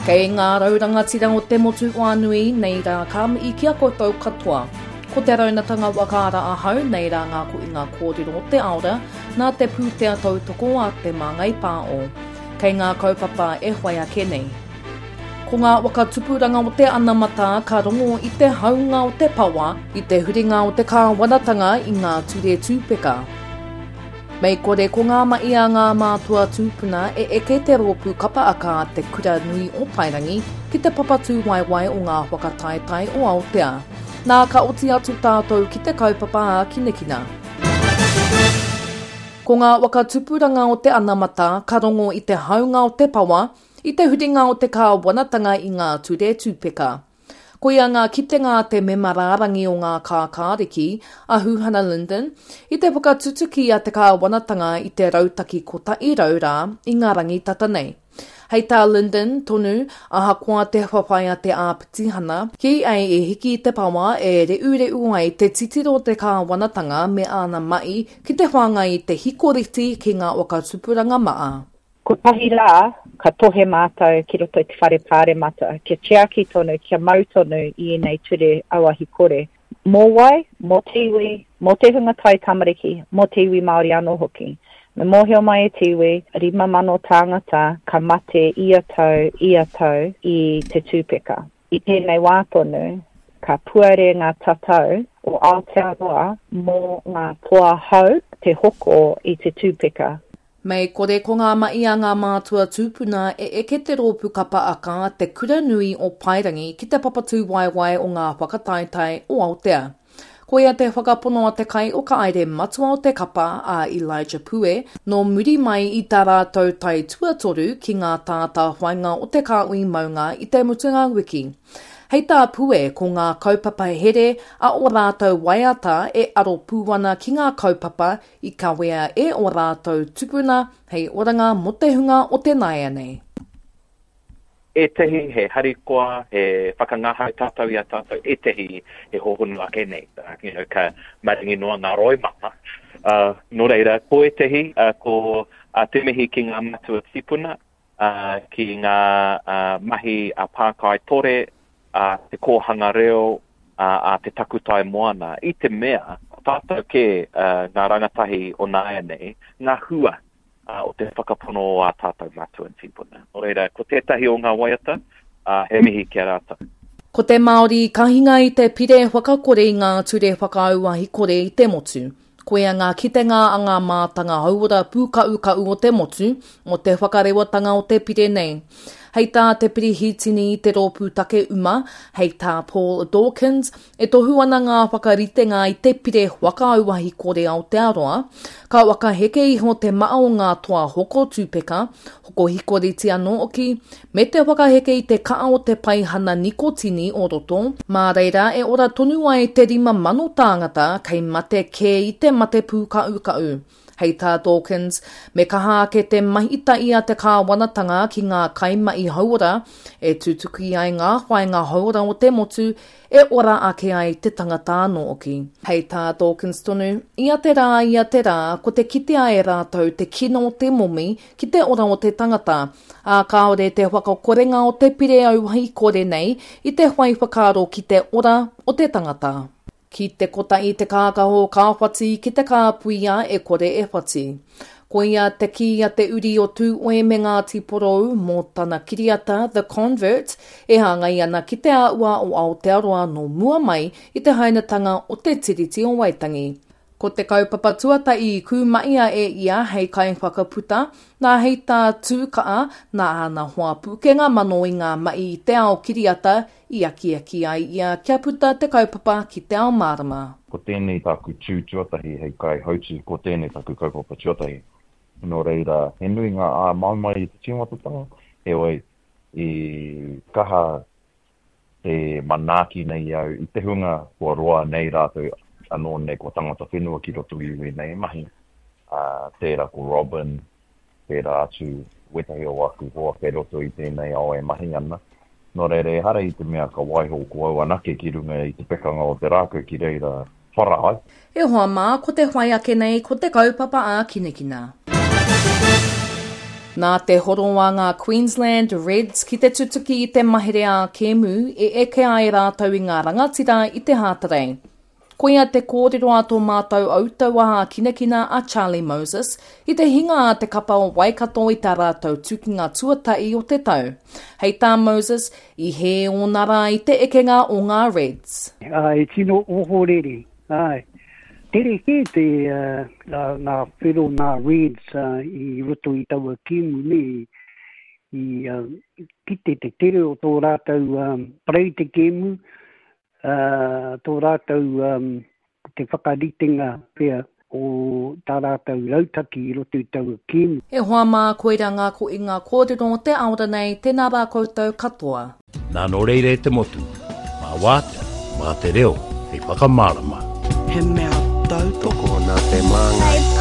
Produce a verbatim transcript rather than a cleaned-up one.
Kei ngā rau rangatira o te motu whānui, nei rā ka mihi ki a koutou katoa. Ko te raunatanga whakaara ahau, nei rā ngā kohinga kōrero o te aora, nā te pūtea tautoko a Te Māngai Pāo. Kei ngā kaupapa e whai ake nei. Ko ngā whakatupuranga o te anamata ka rongo i te haunga o te pawa, i te huringa o te kāwanatanga i ngā ture tūpeka. Mei kore ko ngā mahi a ngā mātua tūpuna e eke te rōpū kapa aka a Te Kura Nui o Paerangi ki te papa tūwaewae o ngā whakataetae o Aotea. Nā ka oti atu tātou ki te kaupapa ākinakina. Ko ngā whakatupuranga o te anamata ka rongo i te haunga o te pawa, i te huringa o te kāwanatanga i ngā ture tūpeka. Koia ngā kitenga a te mema rārangi o ngā kākāriki, a Huhana Lyndon, i te whakatutuki a te kāwanatanga i te rautaki kotahi rau rā i ngā rangi tata nei. Hei tā Lyndon tonu, ahakoa te whawhai a te āpitihana, kī ai e hiki te pawa e reureu ai te titiro te kāwanatanga me āna mahi ki te whāngai i te hikoreti ki ngā whakatupuranga maa. Kotahi rā, ka tohe mātou ki roto i te whare pāremata, kia tiaki tonu, kia mau tonu i ēnei ture auahi kore. Mō wai, mō te iwi, mō te hunga tai tamariki, mō te iwi Māori anō hoki. Me mōhio mai e te iwi, rima mano tāngata ka mate ia tau, ia tau i te tūpeka. I tēnei wā tonu, ka puare ngā tatau o Aotearoa mō ngā toa hau te hoko i te tūpeka. Mei kore ko ngā mahi a ngā mātua tūpuna e eke te rōpū kapa aka a Te Kura Nui o Paerangi ki te papa tūwaewae o ngā whakataetae o Aotea. Koia te whakapono a te kai o ka aere matua o te kapa a Elijah Pue, nō muri mai i tā rātou tai tuatoru ki ngā tātāwhainga o te kāhui maunga i te mutunga wiki. Hei tā Pue ko ngā kaupapa here a o rātou waiata e aro pū ana ki ngā kaupapa i kawea e o rātou tupuna hei oranga mō te hunga o te nāianei. Ētehi he harikoa, he whakangahau tātou i a tātou, ētehi he hohonu ake nei, uh, you know, ka maringi noa ngā roimata. Uh, nō reira, ko ētehi, uh, ko uh, te mihi ki ngā matua tīpuna, uh, ki ngā uh, mahi a Pākai Tore, a te kōhanga reo, a, a te takutai moana. I te mea, ko tātou kē uh, ngā rangatahi o nāianei, ngā hua uh, o te whakapono o ā tātou matua tīpuna. Nō reira, ko tētahi o ngā waiata, uh, he mihi ki a rātou. Ko te Māori ka hinga i te pire whakakore i ngā ture whakaauahi kore i te motu. Koia ngā kitenga a ngā mātanga hauora pūka'uka'u o te motu, o te whakarewatanga o te pire nei. Hei tā te pirihitini i te rōpū take uma, hei tā Paul Dawkins, e tohu ana ngā whakaritenga i te pire whakaauahi kore Aotearoa, ka whakaheke iho te maa o ngā toa hoko tūpeka, hoko hikoreti anō hoki, me te whakaheke i te kaa o te paihana nikotini o roto, mā reira e ora tonu ai te rima mano tāngata kei mate kē i te mate pūka'uka'u. Hei tā Dawkins, me kaha ake te mahitahi a te kāwanatanga ki ngā kaimahi hauora e tutuki ai ngā whāinga hauora o te motu e ora ake ai te tangata anō hoki. Hei tā Dawkins tonu, ia te rā, ia te rā, ko te kitea e rātou te kino o te momi ki te ora o te tangata, ā kāore te whakakorenga o te pire auahi kore nei i te whai whakaaro ki te ora o te tangata. Ki te kotahi te kākaho ka whati, ki te kāpuia e kore e whati. Koia te kī a te uri o Tūoe me Ngāti Porou mō tana kiriata The Convert e hāngai ana ki te āhua o Aotearoa nō mua mai i te hainatanga o te Tiriti o Waitangi. Ko te kaupapa tuatahi i kūmaia e ia hei kaiwhakaputa, nā hei tā Tūkaa, nā āna hoa pūkenga mano i ngā mahi i te ao kiriata i akiaki ai ia kia puta te kaupapa ki te ao mārama. Ko tēnei tāku tū tuatahi hei kaihautu, ko tēnei taku kaupapa tuatahi. Nō reira, he nui ngā āmaimai i te tīmatatanga, heoi i kaha te manaaki nei au i te hunga kua roa nei rātou anō nei kua tangata whenua ki roto i ēnei mahi. Uh, tērā ko Robin, tērā atu wetahi o aku hoa kei roto i tēnei ao e mahi ana. Nō reira, ehara i te mea ka waiho ko au anake ki runga i te pekanga o te rākau ki reira whara ai. E hoa mā, ko te whai ake nei, ko te kaupapa ākinakina. Nā te horo a ngā Queensland Reds ki te tutuki i te mahere ā-kēmu e eke ai rātou i ngā rangatira i te Hātarei. Koia te kōrero a tō mātou autauaha hākinakina a Charlie Moses i te hinga a te kapa o Waikato i tā rātou tukinga tuatahi o te tau. Hei tā Moses, i hē ōna rā i te ekenga o ngā Reds. Āe, tino ohorere, āe. Tere kē te ngā whero nā Reds i roto i taua kēmu nei, i kite te tere o tō rātou parau te kēmu, tō rātou te whakaritenga pea o tā rātou rautaki i roto i taua kēmu. E hoa mā, koira ngā koinga kōrero o te aora nei, tēnā rā koutou katoa. Nā nō reira e te motu, mā wātea, mā te reo hei whakamārama. He mea tautoko. Tokona te māngai.